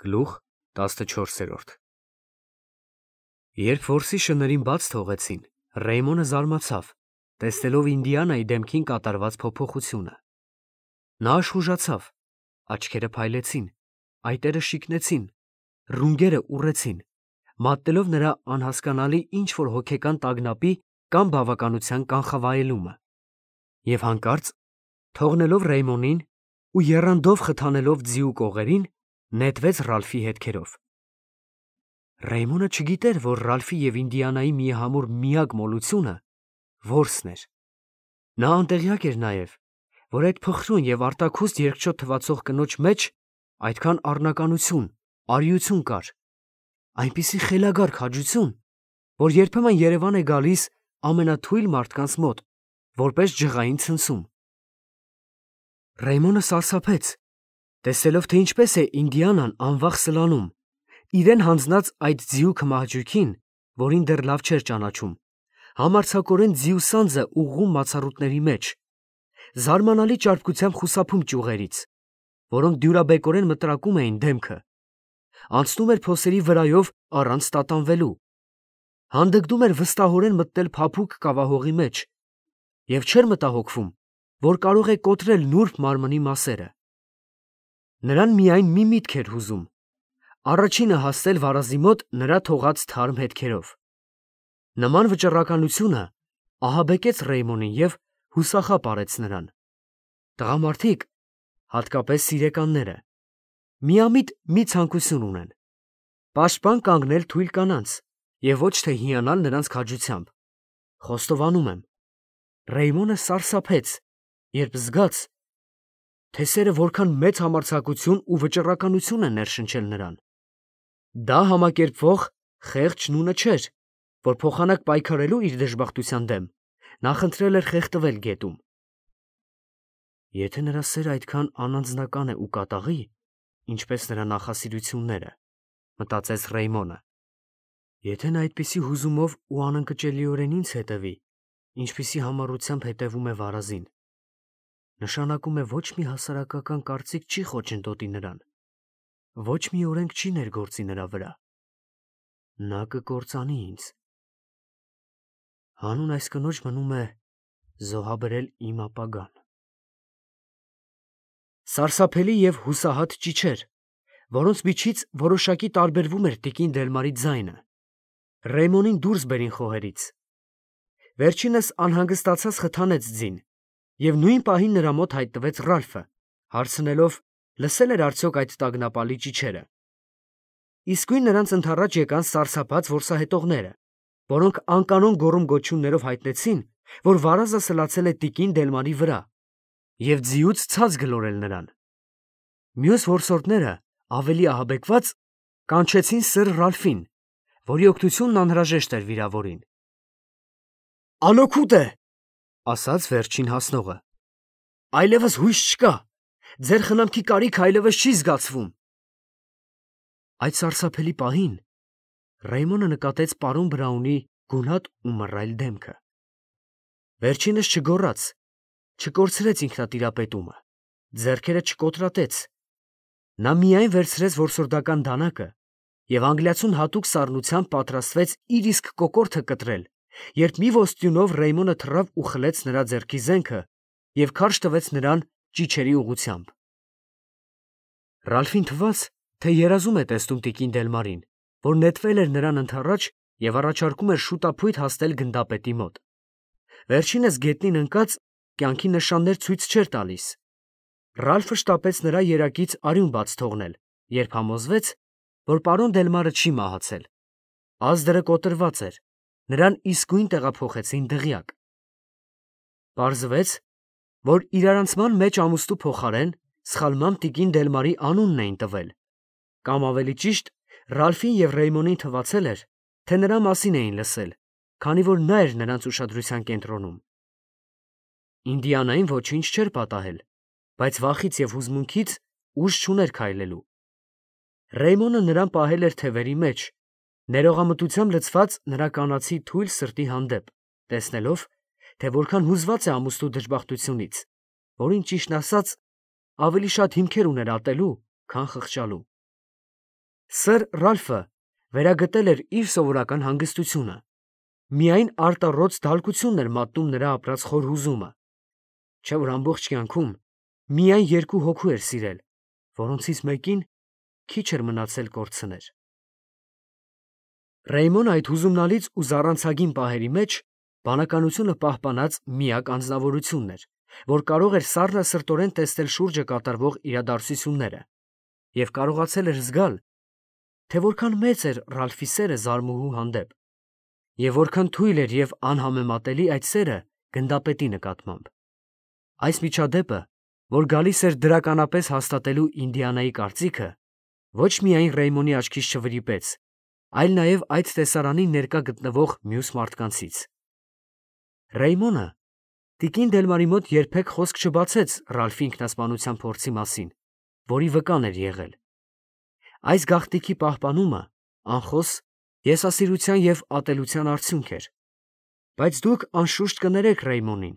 Գլուխ 14։ Երբ որսի շներին բաց թողեցին, Ռեյմոնը զարմացավ, տեսնելով Ինդիանայի դեմքին կատարված փոփոխությունը։ Նա աշխուժացավ, աչքերը փայլեցին, այտերը շիկնեցին, ռունգերը ուռեցին, մատնելով նրա անհասկանալի ինչ-որ հոգեկան տագնապի կամ բավականության կանխավայելումը, և հանկարծ, թողնելով Ռեյմոնին ու եռանդով խթանելով ձիու կողերին, նետվեց Ռալֆի հետքերով։ Ռեյմոնը չգիտեր, որ Ռալֆի և Ինդիանայի միահամուռ միակ մոլությունը որսն էր։ Նա անտեղյակ էր նաև, որ այդ փխրուն և արտաքուստ երկչոտ թվացող կնոջ մեջ այդքան առնականություն, արիություն կար, այնպիսի խելագար քաջություն, որ երբեմն երևան է գալիս ամենաթույլ մարդկանց մոտ, որպես ջղային ցնցում։ Ռեյմոնը սարսափեց, տեսնելով, թե ինչպես է Ինդիանան անվախ սլանում, իրեն հանձնած այդ ձիու քմահաճույքին, որին դեռ լավ չէր ճանաչում, համարձակորեն ձիու սանձը ուղղում մացառուտների մեջ, զարմանալի ճարպկությամբ խուսափում ճյուղերից, որոնք դյուրաբեկորեն մտրակում էին դեմքը, անցնում էր փոսերի վրայով առանց տատանվելու, հանդգնում էր վստահորեն մտնել փափուկ կավահողի մեջ և չէր մտահոգվում, որ կարող է կոտրել նուրբ մարմնի մասերը։ Նրան միայն մի միտք էր հուզում, առաջինը հասնել վարազի մոտ նրա թողած թարմ հետքերով։ Նման վճռականությունը ահաբեկեց Ռեյմոնին և հուսախաբ արեց նրան։ Տղամարդիկ, հատկապես սիրեկանները, միամիտ մի ցանկություն ունեն՝ պաշտպան կանգնել թույլ կանանց և ոչ թե հիանալ նրանց քաջությամբ։ Խոստովանում եմ, Ռեյմոնը սարսափեց, երբ զգաց, թե սերը որքան մեծ համարձակություն ու վճռականություն է ներշնչել նրան։ Դա համակերպվող խեղճ նունը չէր, որ փոխանակ պայքարելու իր դժբախտության դեմ նախընտրել էր խեղդվել գետում։ Եթե նրա սերը այդքան անանձնական է ու կատաղի, ինչպես նրա նախասիրությունները, մտածեց Ռեյմոնը, եթե նա այդպիսի հուզումով ու անընկճելիորեն ինձ հետևի, ինչպիսի համառությամբ հետևում է վարազին, նշանակում է ոչ մի հասարակական կարծիք չի խոչընդոտի նրան, ոչ մի օրենք չի ներգործի նրա վրա։ Նա կկործանի ինձ։ Հանուն այս կնոջ մնում է զոհաբերել իմ ապագան։ Սարսափելի և հուսահատ ճիչեր, որոնց միջից որոշակի տարբերվում էր տիկին Դելմարի ձայնը, Ռեյմոնին դուրս բերին խոհերից։ Վերջինս անհանգստացած խթանեց ձին, և նույն պահին նրա մոտ հայտնվեց Ռալֆը, հարցնելով, լսել էր արդյոք այդ տագնապալի ճիչերը։ Իսկույն նրանց ընդառաջ եկան սարսափած որսահետողները, որոնք անկանոն գոռում-գոչյուններով հայտնեցին, որ վարազը սլացել է տիկին Դելմարի վրա և ձիուց ցած գլորել նրան։ Մյուս որսորդները, ավելի ահաբեկված, կանչեցին սըր Ռալֆին, որի օգնությունն անհրաժեշտ էր վիրավորին։ «Անօգուտ է, ֊ ասաց վերջին հասնողը, ֊ այլևս հույս չկա, ձեր խնամքի կարիքը այլևս չի զգացվում»։ Այդ սարսափելի պահին Ռեյմոնը նկատեց պարոն Բրաունի գունատ ու մռայլ դեմքը։ Վերջինս չգոռաց, չկորցրեց ինքնատիրապետումը, ձեռքերը չկոտրատեց, նա միայն վերցրեց որսորդական դանակը և անգլիացուն հատուկ սառնությամբ պատրաստվեց իր իսկ կոկորդը կտրել, երբ մի ոստյունով Ռեյմոնը թռավ ու խլեց նրա ձեռքի զենքը և քարշ տվեց նրան ճիչերի ուղղությամբ։ Ռալֆին թվաց, թե երազում է տեսնում տիկին Դելմարին, որ նետվել էր նրան ընդառաջ և առաջարկում էր շուտափույթ հասնել գնդապետի մոտ։ Վերջինս գետնին ընկած կյանքի նշաններ ցույց չէր տալիս։ Ռալֆը շտապեց նրա երակից արյուն բաց թողնել, երբ համոզվեց, որ պարոն Դելմարը չի մահացել։ Ազդրը կոտրված էր, նրան իսկույն տեղափոխեցին դղյակ։ Պարզվեց, որ իրարանցման մեջ ամուսնու փոխարեն սխալմամբ տիկին Դելմարի անունն էին տվել, կամ ավելի ճիշտ, Ռալֆին և Ռեյմոնին թվացել էր, թե նրա մասին էին լսել, քանի որ նա էր նրանց ուշադրության կենտրոնում։ Ինդիանային ոչինչ չէր պատահել, բայց վախից և հուզմունքից ուժ չուներ քայլելու։ Ռեյմոնը նրան պահել էր թևերի մեջ, ներողամտությամբ լցված նրա կանացի թույլ սրտի հանդեպ, տեսնելով, թե որքան հուզված է ամուսնու դժբախտությունից, որին, ճիշտն ասած, ավելի շատ հիմքեր ուներ ատելու, քան խղճալու։ Սըր Ռալֆը վերագտել էր իր սովորական հանգստությունը, միայն արտառոց դալկությունն էր մատնում նրա ապրած խոր հուզումը, չէ որ ամբողջ կյանքում միայն երկու հոգու էր սիրել, որոնցից մեկին քիչ էր մնացել կորցներ։ Ռեյմոնը այդ հուզումնալից ու զառանցագին պահերի մեջ բանականությունը պահպանած միակ անձնավորությունն էր, որ կարող էր սառնասրտորեն տեսնել շուրջը կատարվող իրադարձությունները և կարողացել էր զգալ, թե որքան մեծ էր Ռալֆի սերը զարմուհու հանդեպ և որքան թույլ էր և անհամեմատելի այդ սերը գնդապետի նկատմամբ։ Այս միջադեպը, որ գալիս էր դրականապես հաստատելու Ինդիանայի կարծիքը, ոչ միայն Ռեյմոնի աչքից չվրիպեց, այլ նաև այդ տեսարանին ներկա գտնվող մյուս մարդկանցից։ Ռեյմոնը տիկին Դելմարի մոտ երբեք խոսք չբացեց Ռալֆի ինքնասպանության փորձի մասին, որի վկան էր եղել։ Այս գաղտնիքի պահպանումը անխոս եսասիրության և ատելության արդյունք էր, բայց դուք անշուշտ կներեք Ռեյմոնին,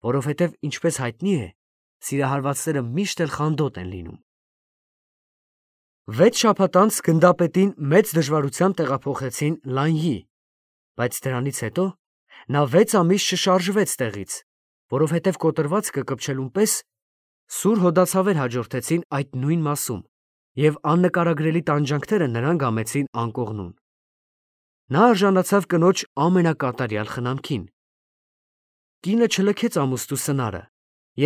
որովհետև, ինչպես հայտնի է, սիրահարվածները միշտ էլ խանդոտ են լինում։ 6 շաբաթ անց գնդապետին մեծ դժվարությամբ տեղափոխեցին Լանյի, բայց դրանից հետո նա 6 ամիս չշարժվեց տեղից, որովհետև կոտրվածքը կպչելուն պես սուր հոդացավեր հաջորդեցին այդ նույն մասում, և աննկարագրելի տանջանքները նրան գամեցին անկողնուն։ Նա արժանացավ կնոջ ամենակատարյալ խնամքին։ Կինը չլքեց ամուսնու սնարը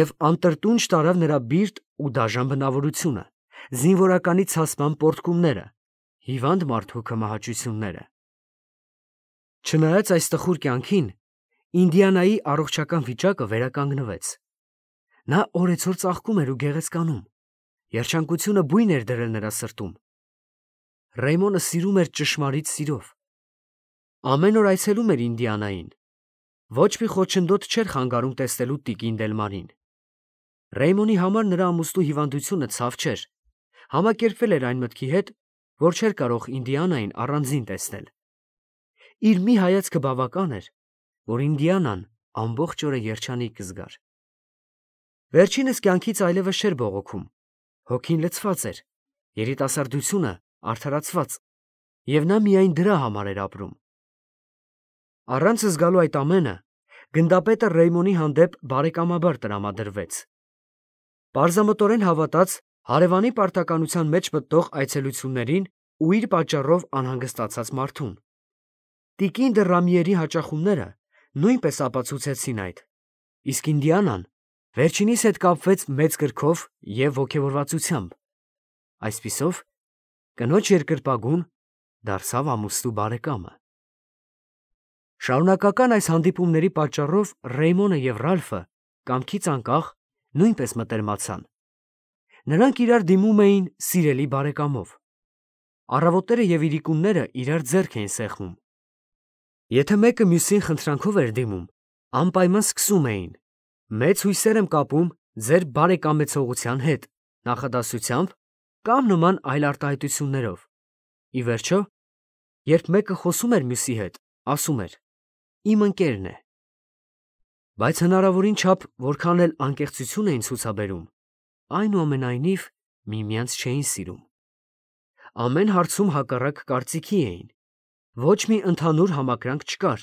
և անտրտունջ տարավ նրա բիրտ ու դաժան բնավորությունը, զինվորականի ցասման պոռթկումները, հիվանդ մարդու քմահաճությունները։ Չնայած այս տխուր կյանքին, Ինդիանայի առողջական վիճակը վերականգնվեց։ Նա օրեցօր ծաղկում էր ու գեղեցկանում, երջանկությունը բույն էր դրել նրա սրտում։ Ռեյմոնը սիրում էր ճշմարիտ սիրով։ Ամեն օր այցելում էր Ինդիանային։ Ոչ մի խոչընդոտ չէր խանգարում տեսնելու տիկին Դելմարին։ Ռեյմոնի համար նրա ամուսնու հիվանդությունը ցավ չէր, համակերպվել էր այն մտքի հետ, որ չէր կարող Ինդիանային առանձին տեսնել։ Իր մի հայացքը բավական էր, որ Ինդիանան ամբողջ օրը երջանիկ կզգար։ Վերջինս կյանքից այլևս չէր բողոքում, հոգին լցված էր, երիտասարդությունը արդարացված, և նա միայն դրա համար էր ապրում։ Առանց զգալու այդ ամենը, գնդապետը Ռեյմոնի հանդեպ բարեկամաբար տրամադրվեց։ Պարզամտորեն հավատաց հարևանի պարտականության մեջ մտնող այցելություններին ու իր պատճառով անհանգստացած մարդուն։ Տիկին դը Ռամիերի հաճախումները նույնպես ապացուցեցին այդ, իսկ Ինդիանան վերջինիս հետ կապվեց մեծ կրքով և ոգևորվածությամբ։ Այսպիսով, կնոջ երկրպագուն դարձավ ամուսնու բարեկամը։ Շարունակական այս հանդիպումների պատճառով Ռեյմոնը և Ռալֆը կամքից անկախ նույնպես մտերմացան։ Նրանք իրար դիմում էին սիրելի բարեկամով։ Առավոտները և իրիկունները իրար ձեռք էին սեղմում։ Եթե մեկը մյուսին խնդրանքով էր դիմում, անպայման սկսում էին. «Մեծ հույսեր եմ կապում ձեր բարեկամեցողության հետ» նախադասությամբ կամ նման այլ արտահայտություններով։ Ի վերջո, երբ մեկը խոսում էր մյուսի հետ, ասում էր. «Իմ ընկերն է»։ Բայց հնարավորին չափ որքան էլ անկեղծություն էին ցուցաբերում, այնուամենայնիվ միմյանց չէին սիրում։ Ամեն հարցում հակառակ կարծիքի էին։ Ոչ մի ընդհանուր համակրանք չկար։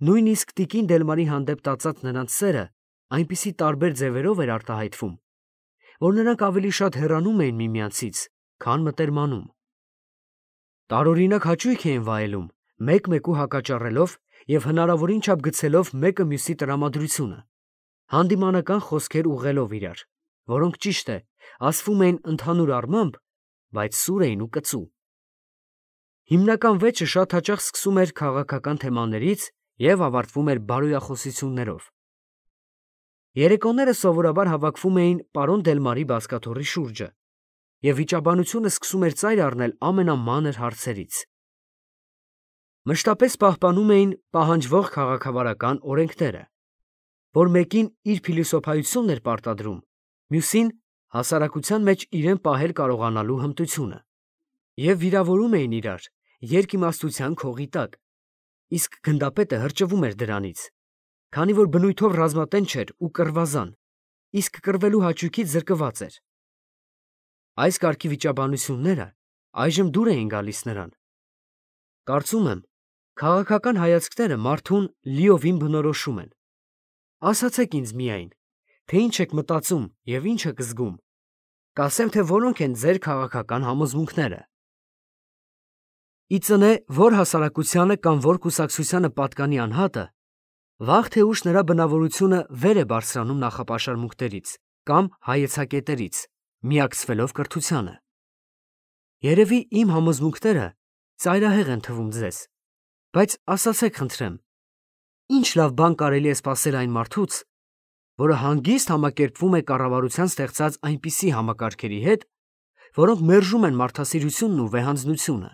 Նույնիսկ տիկին Դելմարի հանդեպ տածած նրանց սերը այնպիսի տարբեր ձևերով էր արտահայտվում, որ նրանք ավելի շատ հեռանում էին միմյանցից, քան մտերմանում։ Տարօրինակ հաճույք էին վայելում, մեկ-մեկու հակաճառելով և հնարավորին չափ գցելով մեկը մյուսի տրամադրությունը, հանդիմանական խոսքեր ուղղելով իրար, որոնք, ճիշտ է, ասվում էին ընդհանուր առմամբ, բայց սուր էին ու կծու։ Հիմնական վեճը շատ հաճախ սկսում էր քաղաքական թեմաներից և ավարտվում էր բարոյախոսություններով։ Երեկոները սովորաբար հավաքվում էին պարոն Դելմարի բազկաթոռի շուրջը, և վիճաբանությունը սկսում էր ծայր առնել ամենամանր հարցերից։ Մշտապես պահպանում էին պահանջվող քաղաքավարական օրենքները, որ մեկին իր փիլիսոփայությունն էր պարտադրում, մյուսին հասարակության մեջ իրեն պահել կարողանալու հմտությունը, և վիրավորում էին իրար երկիմաստության քողի տակ, իսկ գնդապետը հրճվում էր դրանից, քանի որ բնույթով ռազմատենչ էր ու կռվազան, իսկ կռվելու հաճույքից զրկված էր։ Այս կարգի վիճաբանությունները այժմ դուր էին գալիս նրան։ Կարծում եմ, քաղաքական հայացքները մարդուն լիովին բնորոշում են։ Ասացեք ինձ միայն, թե ինչ եք մտածում և ինչ եք զգում։ Կասեմ, թե որոնք են ձեր քաղաքական համոզմունքները։ Ի ծնե որ հասարակությանը կամ որ կուսակցությանը պատկանի անհատը, վաղ թե ուշ նրա բնավորությունը վեր է բարձրանում նախապաշարմունքներից կամ հայեցակետերից, միակցվելով կրթությանը։ Երևի իմ համոզմունքները ծայրահեղ են թվում ձեզ, բայց ասացեք խնդրեմ, ինչ լավ բան կարելի է սպասել այն մարդուց, որը հանգիստ համակերպվում է կառավարության ստեղծած այնպիսի համակարգերի հետ, որոնք մերժում են մարդասիրությունն ու վեհանձնությունը։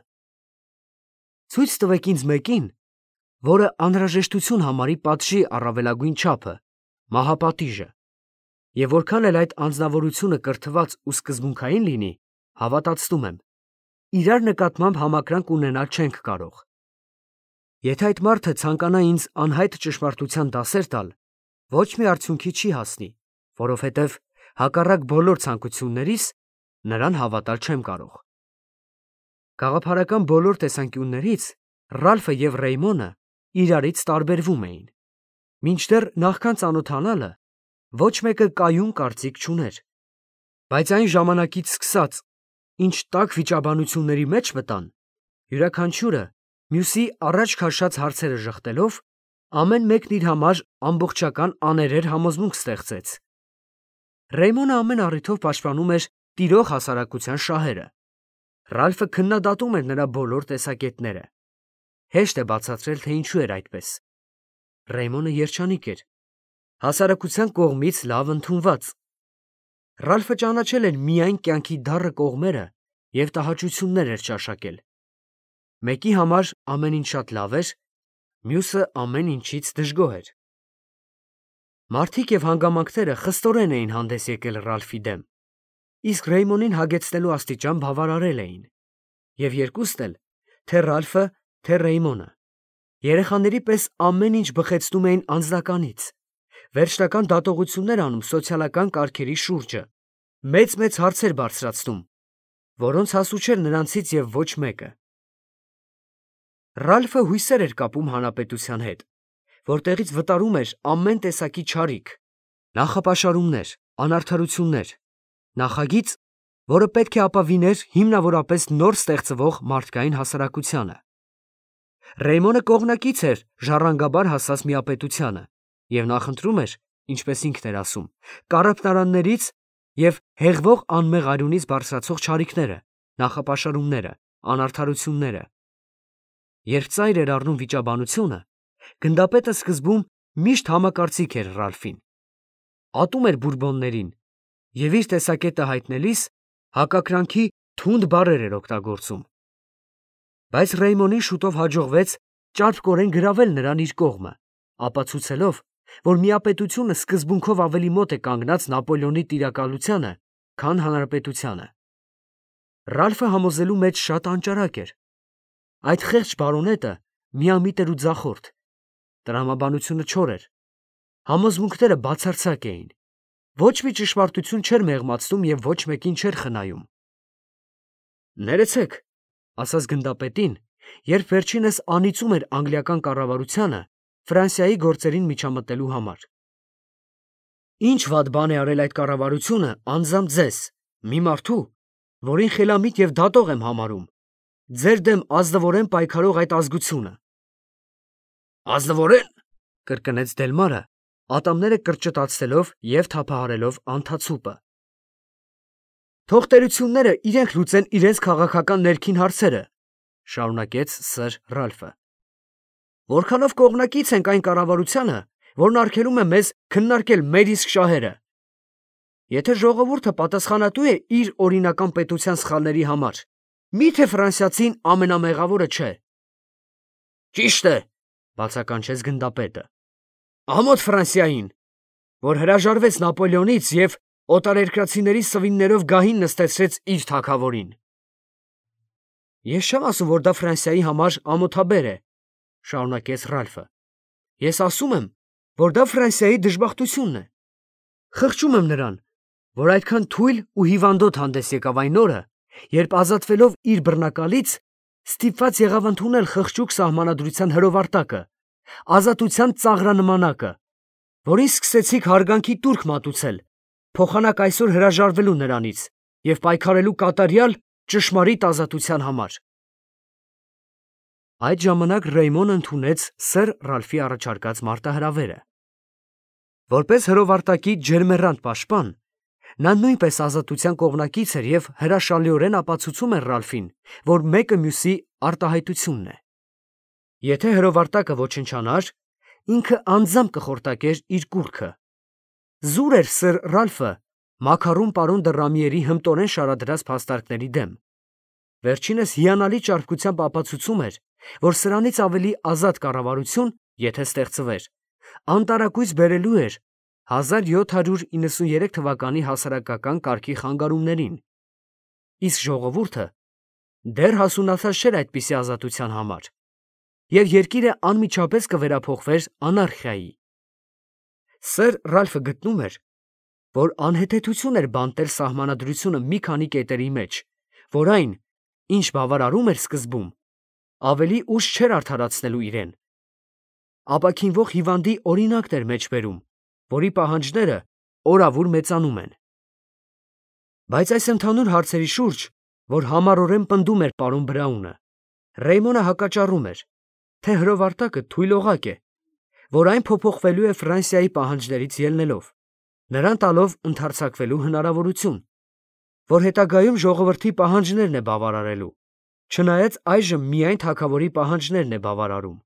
Ցույց տվեք ինձ մեկին, որը անհրաժեշտություն համարի պատժի առավելագույն չափը, մահապատիժը, և որքան էլ այդ անձնավորությունը կրթված ու սկզբունքային լինի, հավատացնում եմ, իրար նկատմամբ համակրանք ունենալ չենք կարող։ Եթե այդ մարդը ցանկանա ինձ անհայտ ճշմարտության դասեր տալ, ոչ մի արդյունքի չի հասնի, որովհետև հակառակ բոլոր ցանկություններիս նրան հավատալ չեմ կարող։ Գաղափարական բոլոր տեսանկյուններից Ռալֆը և Ռեյմոնը իրարից տարբերվում էին։ Մինչդեռ նախքան ծանոթանալը ոչ մեկը կայուն կարծիք չուներ, բայց այն ժամանակից սկսած, ինչ տաք վիճաբանությունների մեջ մտան, յուրաքանչյուրը մյուսի առաջ քաշած հարցերը ժխտելով, ամեն մեկն իր համար ամբողջական աներեր համոզմունք ստեղծեց։ Ռեյմոնը ամեն առիթով պաշտպանում էր տիրող հասարակության շահերը։ Ռալֆը քննադատում էր նրա բոլոր տեսակետները։ Հեշտ է բացատրել, թե ինչու էր այդպես։ Ռեյմոնը երջանիկ էր, հասարակության կողմից լավ ընդունված։ Ռալֆը ճանաչել էր միայն կյանքի դառը կողմերը և տհաճություններ էր ճաշակել։ Մեկի համար ամեն ինչ շատ լավ էր, մյուսը ամեն ինչից դժգոհ էր։ Մարդիկ և հանգամանքները խստորեն էին հանդես եկել Ռալֆի դեմ, իսկ Ռեյմոնին հագեցնելու աստիճան բավարարել էին։ Եվ երկուստ էլ, թե Ռալֆը, թե Ռեյմոնը, երեխաների պես ամեն ինչ բխեցնում էին անձնականից, վերջնական դատողություններ անում սոցիալական կարգերի շուրջը, մեծ հարցեր բարձրացնում, որոնց հասու չէր նրանցից և ոչ մեկը։ Ռալֆը հույսեր էր կապում հանրապետության հետ, որտեղից վտարում էր ամեն տեսակի չարիք, նախապաշարումներ, անարդարություններ, նախագիծ, որը պետք է ապավիներ հիմնավորապես նոր ստեղծվող մարդկային հասարակությանը։ Ռեյմոնը կողմնակից էր ժառանգաբար հասած միապետությանը և նախընտրում էր, ինչպես ինքն էր ասում, կառափնարաններից և հեղվող անմեղ արյունից բարձրացող չարիքները, նախապաշարումները, անարդարությունները։ Երբ ծայր էր առնում վիճաբանությունը, գնդապետը սկզբում միշտ համակարծիք էր Ռալֆին, ատում էր բուրբոններին և իր տեսակետը հայտնելիս հակակրանքի թունդ բառեր էր օգտագործում։ Բայց Ռեյմոնին շուտով հաջողվեց ճարպկորեն գրավել նրան իր կողմը, ապացուցելով, որ միապետությունը սկզբունքով ավելի մոտ է կանգնած Նապոլեոնի տիրակալությանը, քան հանրապետությանը։ Ռալֆը համոզելու մեջ շատ անճարակ էր։ Այդ խեղճ բարոնետը միամիտ էր ու ձախորդ, տրամաբանությունը չոր էր, համոզմունքները բացարձակ էին, ոչ մի ճշմարտություն չէր մեղմացնում և ոչ մեկին չէր խնայում։ Ներեցեք, ասաց գնդապետին, երբ վերջինս անիծում էր անգլիական կառավարությանը Ֆրանսիայի գործերին միջամտելու համար։ Ինչ վատ բան է արել այդ կառավարությունը անձամբ ձեզ, մի մարդու, որին խելամիտ և դատող եմ համարում, ձեր դեմ ազնվորեն պայքարող այդ ազգությունը։ Ազնվորեն, կրկնեց Դելմարը, ատամները կրճտացնելով և թափահարելով անթացուպը։ Թող տերությունները իրենք լուծեն իրենց քաղաքական ներքին հարցերը, շարունակեց սըր Ռալֆը։ Որքանով կողմնակից ենք այն կառավարությանը, որն արգելում է մեզ քննարկել մեր իսկ շահերը։ Եթե ժողովուրդը պատասխանատու է իր օրինական պետության սխալների համար, մի՞թե ֆրանսիացին ամենամեղավորը չէ։ Ճիշտ է, բացականչեց գնդապետը։ Ամոթ Ֆրանսիային, որ հրաժարվեց Նապոլեոնից և օտարերկրացիների սվիններով գահին նստեցրեց իր թագավորին։ Ես չեմ ասում, որ դա Ֆրանսիայի համար ամոթաբեր է, շարունակեց Ռալֆը։ Ես ասում եմ, որ դա Ֆրանսիայի դժբախտությունն է։ Խղճում եմ նրան, որ այդքան թույլ ու հիվանդոտ հանդես եկավ այն օրը, Երբ ազատվելով իր բռնակալից, ստիպված եղավ ընդունել խղճուկ սահմանադրության հրովարտակը, ազատության ծաղրանմանակը, որին սկսեցիք հարգանքի տուրք մատուցել, փոխանակ այսօր հրաժարվելու նրանից և պայքարելու կատարյալ ճշմարիտ ազատության համար։ Այդ ժամանակ Ռեյմոնը ընդունեց սըր Ռալֆի առաջարկած մարտահրավերը։ Որպես հրովարտակի ջերմեռանդ պաշտպան, նա նույնպես ազատության կողմնակից էր և հրաշալիորեն ապացուցում էր Ռալֆին, որ մեկը մյուսի արտահայտությունն է։ Եթե հրովարտակը ոչնչանար, ինքը անձամբ կխորտակեր իր կուռքը։ Զուր էր սըր Ռալֆը մաքարուն պարոն դը Ռամիերի հմտորեն շարադրած փաստարկների դեմ։ Վերջինս հիանալի ճարպկությամբ ապացուցում էր, որ սրանից ավելի ազատ կառավարություն, եթե ստեղծվեր, անտարակույս բերելու էր 1793 թվականի հասարակական կարգի խանգարումներին, իսկ ժողովուրդը դեռ հասունացած չէր այդպիսի ազատության համար, և երկիրը անմիջապես կվերափոխվեր անարխիայի։ Սըր Ռալֆը գտնում էր, որ անհեթեթություն էր բանտել սահմանադրությունը մի քանի կետերի մեջ, որ այն, ինչ բավարարում էր սկզբում, ավելի ուշ չէր արդարացնելու իրեն։ Ապաքինվող հիվանդի օրինակն էր մեջբերում, որի պահանջները օրավուր մեծանում են։ Բայց այս ընդհանուր հարցերի շուրջ, որ համառորեն պնդում էր պարոն Բրաունը, Ռեյմոնը հակաճառում էր, թե հրովարտակը թույլ օղակ է, որ այն փոփոխվելու է Ֆրանսիայի պահանջներից ելնելով, նրան տալով ընդարձակվելու հնարավորություն, որ հետագայում ժողովրդի պահանջներն է բավարարելու, չնայած այժմ միայն թագավորի պահանջներն է բավարարում։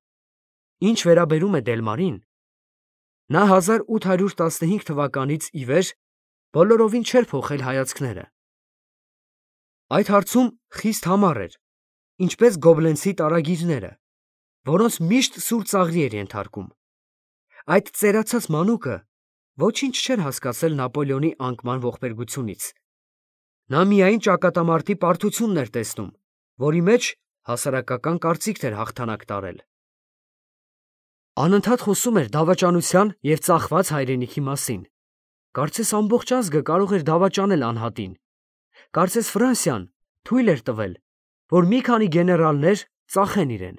Ինչ վերաբերում է Դելմարին, նա 1815 թվականից ի վեր բոլորովին չէր փոխել հայացքները։ Այդ հարցում խիստ համառ էր, ինչպես գոբլենցի տարագիրները, որոնց միշտ սուր ծաղրի էր ենթարկում։ Այդ ծերացած մանուկը ոչինչ չէր հասկացել Նապոլեոնի անկման ողբերգությունից։ Նա միայն ճակատամարտի պարտությունն էր տեսնում, որի մեջ հասարակական կարծիքն էր հաղթանակ տարել։ Անընդհատ խոսում էր դավաճանության և ծախված հայրենիքի մասին։ Կարծես ամբողջ ազգը կարող էր դավաճանել անհատին։ Կարծես Ֆրանսիան թույլ էր տվել, որ մի քանի գեներալներ ծախեն իրեն։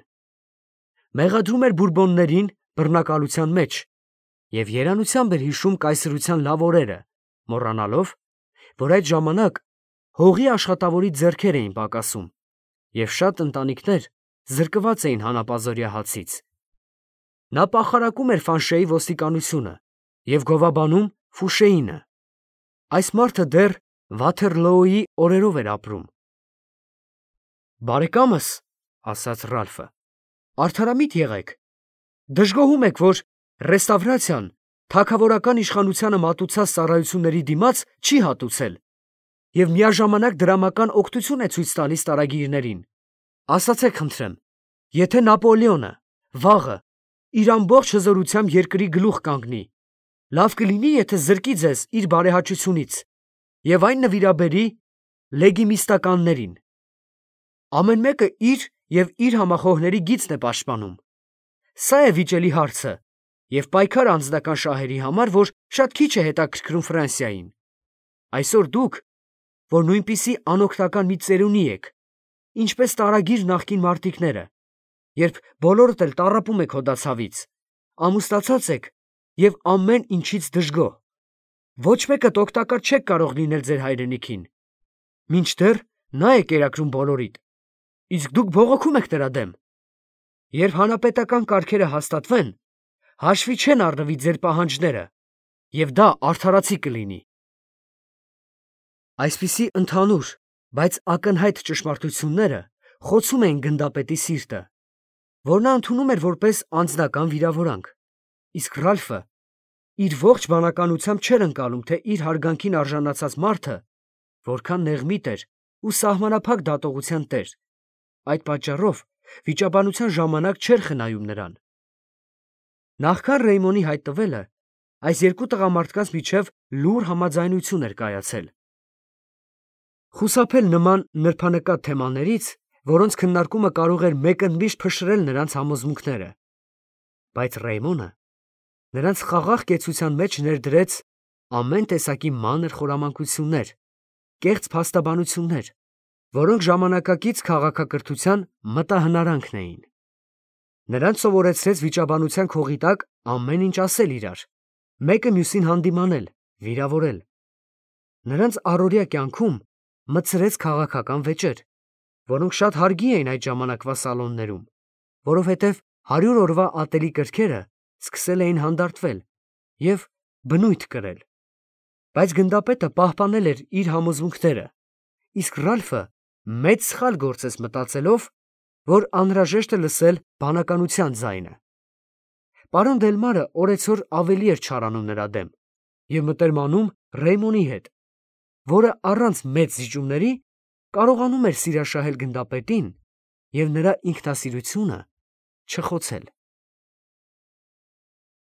Մեղադրում էր բուրբոններին բռնակալության մեջ և երանությամբ էր հիշում կայսրության լավ օրերը, մոռանալով, որ այդ ժամանակ հողի աշխատավորի ձեռքեր էին պակասում, և շատ ընտանիքներ զրկված էին հանապազօրյա հացից։ Նա պախարակում էր Ֆանշեի ոստիկանությունը և գովաբանում Ֆուշեինը։ Այս մարդը դեռ Վաթերլոուի օրերով էր ապրում։ «Բարեկամս, ֊ ասաց Ռալֆը, ֊ արդարամիտ եղեք. դժգոհում եք, որ ռեստավրացիան թագավորական իշխանությանը մատուցած ծառայությունների դիմաց չի հատուցել և միաժամանակ դրամական օգնություն է ցույց տալիս տարագիրներին։ Ասացեք խնդրեմ, եթե Նապոլեոնը վաղը իր ամբողջ հզորությամբ երկրի գլուխ կանգնի, լավ կլինի, եթե զրկի ձեզ իր բարեհաճությունից և այն նվիրաբերի լեգիմիստականներին։ Ամեն մեկը իր և իր համախոհների գիծն է պաշտպանում։ Սա է վիճելի հարցը և պայքար անձնական շահերի համար, որ շատ քիչ է հետաքրքրում Ֆրանսիային։ Այսօր դուք, որ նույնպիսի անօգնական մի ծերունի եք, ինչպես տարագիր նախկին մարտիկները, երբ բոլորդ էլ տառապում եք հոդացավից, ամուսնացած եք և ամեն ինչից դժգոհ, ոչ մեկդ օգտակար չեք կարող լինել ձեր հայրենիքին, մինչդեռ նա է կերակրում բոլորիդ, իսկ դուք բողոքում եք նրա դեմ։ Երբ հանրապետական կարգերը հաստատվեն, հաշվի չեն առնվի ձեր պահանջները, և դա արդարացի կլինի։ Այսպիսի ընդհանուր, բայց ակնհայտ ճշմարտությունները խոցում էին գնդապետի սիրտը, որ նա ընդունում էր որպես անձնական վիրավորանք, իսկ Ռալֆը իր ողջ բանականությամբ չէր ընկալում, թե իր հարգանքին արժանացած մարդը որքան նեղմիտ էր ու սահմանափակ դատողության տեր, այդ պատճառով վիճաբանության ժամանակ չէր խնայում նրան։ Նախքան Ռեյմոնի հայտնվելը, այս երկու տղամարդկանց միջև լուռ համաձայնություն էր կայացել։ Խուսափել նման նրբանկատ թեմաներից, որոնց քննարկումը կարող էր մեկընդմիշտ փշրել նրանց համոզմունքները, բայց Ռեյմոնը նրանց խաղաղ կեցության մեջ ներդրեց ամեն տեսակի մանր խորամանկություններ, կեղծ փաստաբանություններ, որոնք ժամանակակից քաղաքակրթության մտահնարանքն էին։ Նրանց սովորեցրեց վիճաբանության քողի տակ ամեն ինչ ասել իրար, մեկը մյուսին հանդիմանել, վիրավորել։ Նրանց առօրյա կյանքում մտցրեց քաղաքական վեճեր, որոնք շատ հարգի էին այդ ժամանակվա սալոններում, որովհետև 100 օրվա ատելի կրքերը սկսել էին հանդարտվել և բնույթ կրել։ Բայց գնդապետը պահպանել էր իր համոզմունքները, իսկ Ռալֆը մեծ սխալ գործեց մտածելով, որ անհրաժեշտ է լսել բանականության ձայնը։ Պարոն Դելմարը օրեցօր ավելի էր չարանում նրա դեմ և մտերմանում Ռեյմոնի հետ, որը առանց մեծ զիջումների կարողանում էր սիրաշահել գնդապետին և նրա ինքնասիրությունը չխոցել։